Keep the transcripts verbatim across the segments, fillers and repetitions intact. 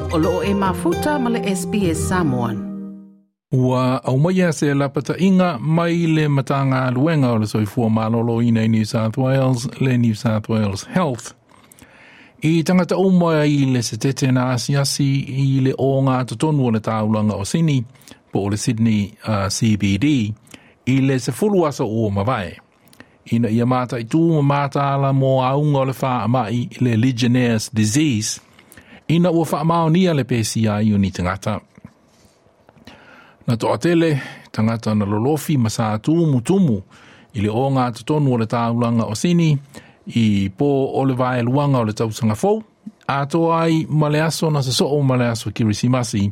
O loo e mafuta ma le S B S Samoan. Ua aumaia se lapata'iga mai le Matagaluega o le Soifua Malōlōina i New South Wales, le New South Wales Health, i tagata uma i le setete na asiasi i le ogatotonu o le taulaga o Sini, po o le Sydney uh, C B D, i le sefulu aso ua mavae, ina ia mataitū ma mataala mo auga o le faama'i le Legionnaires disease, ina ua faamaonia le pesia ai o ni tagata. Na toatele tagata na lolofi ma sa tumutumu i le ogatotonu o le taulaga o Sini i pō o le vaeluaga o le tausaga fou, atoa ai ma le aso na sosoo ma le aso Kirisimasi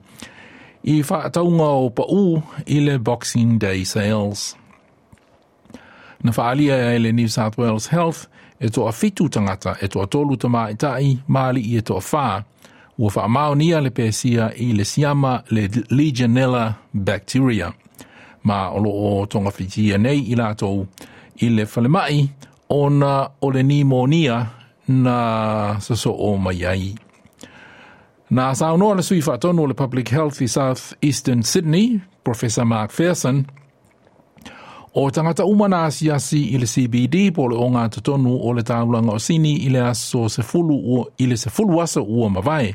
i faatauga o paʻū i le Boxing Day sales. Na faaalia e le New South Wales Health e toafitu tagata, e toatolu tamaita'i ma alii e toafā, ua faamaonia le pesia i le siama le Legionella bacteria, ma o loo togafitia nei i latou i le falemai ona o le nimonia na sosoo mai ai. Na saunoa le sui faatonu o le Public Health i South Eastern Sydney, Professor Mark Pherson, o tagata uma na asiasi i le C B D po le ogatotonu o le taulaga o Sini i le aso sefulu i le sefulu aso ua mavae,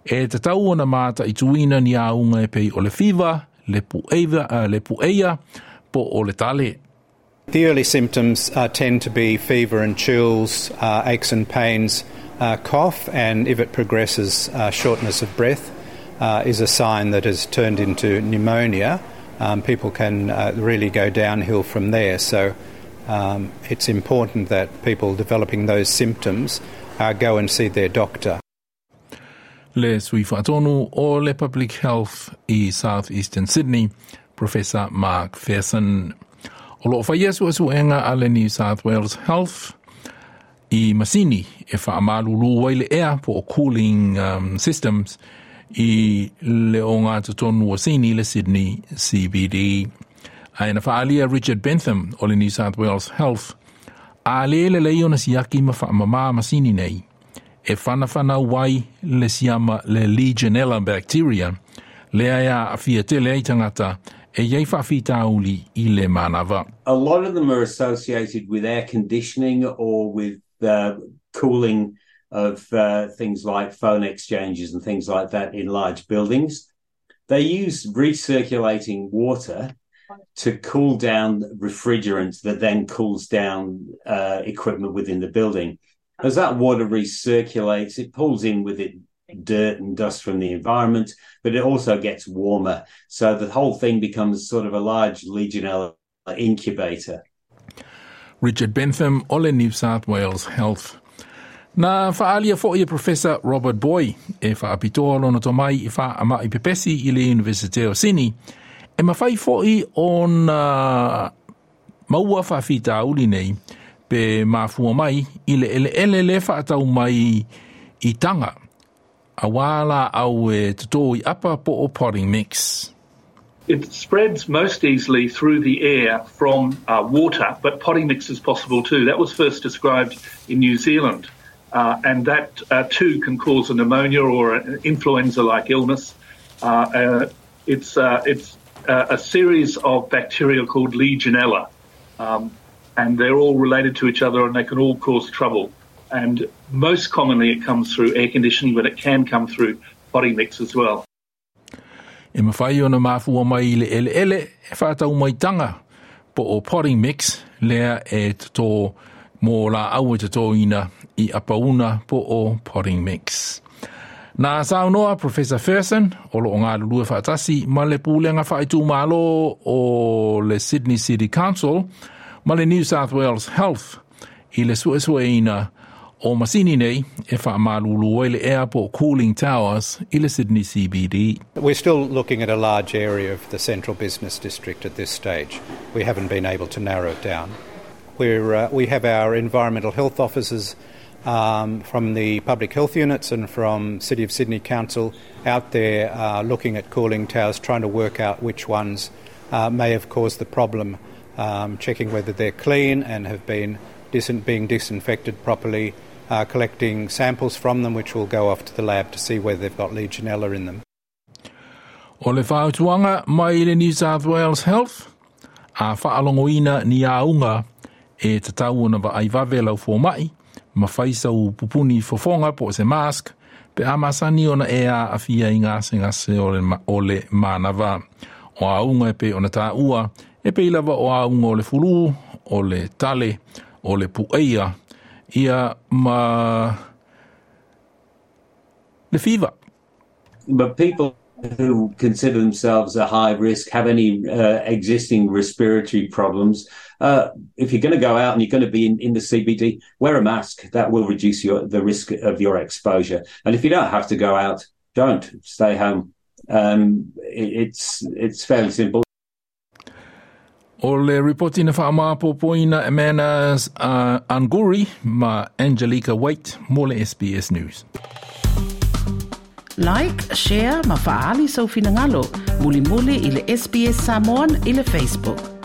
e tatau ona mataituina ni auga e pei o le fiva, le pu'eia, uh, le pu'eia po o le tale. The early symptoms uh, tend to be fever and chills, uh, aches and pains, uh, cough, and if it progresses, uh, shortness of breath uh, is a sign that has turned into pneumonia. Um, people can uh, really go downhill from there. So um, it's important that people developing those symptoms uh, go and see their doctor. Le sui faatonu o le Public Health i South Eastern Sydney, Professor Mark Pherson. O loo faia suesuega a le New South Wales Health i masini e faamalulū ai le ea po o cooling um, systems i le ogatotonu o Sini, le Sydney C B D. Ae na faaalia Richard Bentham o le New South Wales Health, a le lelei ona siaki ma faamamā masini nei e whanawhanau ai le siama le Legionella bacteria, lea e aafia tele ai tagata e iai faafitauli i le manava. A lot of them are associated with air conditioning or with uh, cooling of uh, things like phone exchanges and things like that in large buildings. They use recirculating water to cool down refrigerant that then cools down uh, equipment within the building. As that water recirculates, it pulls in with it dirt and dust from the environment, but it also gets warmer. So the whole thing becomes sort of a large Legionella incubator. Richard Bentham o le New South Wales Health. Na faaalia fo'i e Professor Robert Booy, e faapitoa lona tomai i faama'i pepesi i le Universite o Sini, e mafai fo'i ona maua faafitauli nei pe mafua mai i le eleele le faatau mai i taga auā laau e totō i apa po o potting mix. It spreads most easily through the air from uh, water, but potting mix is possible too. That was first described in New Zealand. Uh, and that uh, too can cause a pneumonia or an influenza-like illness. Uh, uh, it's uh, it's a series of bacteria called Legionella, um, and they're all related to each other and they can all cause trouble. And most commonly it comes through air conditioning, but it can come through potting mix as well. E mafai ona mafua mai i le eleele e faatau mai taga po o potting mix lea e totō mō laau e totōina i apauna po o potting mix. Na saunoa Professor Pherson, o loo galulue faatasi ma le pulega faaitumālō o le Sydney City Council ma le New South Wales Health i le suesueina o masini nei e faamalulū ai le ea po cooling towers i le Sydney C B D. We're still looking at a large area of the central business district at this stage. We haven't been able to narrow it down. We're, uh, we have our environmental health officers um, from the public health units and from City of Sydney Council out there uh, looking at cooling towers, trying to work out which ones uh, may have caused the problem, um, checking whether they're clean and have been dis- being disinfected properly. uh, collecting samples from them, which will go off to the lab to see whether they've got Legionella in them. O le fautuaga mai le New South Wales Health, a faalogoina ni auga e tatau ona vaai vave lau fomai, ma fai sau pupuni fofoga po o se mask, pe a masani ona e aafia i gasegase o le, o le manava. O auga e pei ona taua, e pei lava o auga o le fulu, o le tale, o le pueia, ia ma le fiva. But people who consider themselves a high risk, have any uh, existing respiratory problems, uh, if you're going to go out and you're going to be in, in the C B D, wear a mask. That will reduce your the risk of your exposure. And if you don't have to go out, don't, stay home. Um, it, it's it's fairly simple. O le ripoti na whaamapopoina e Manas uh, Anguri ma Angelica Waite mo le S B S News. Like, share ma faali sau finagalo. Mulimuli i le S B S Samoan i le Facebook.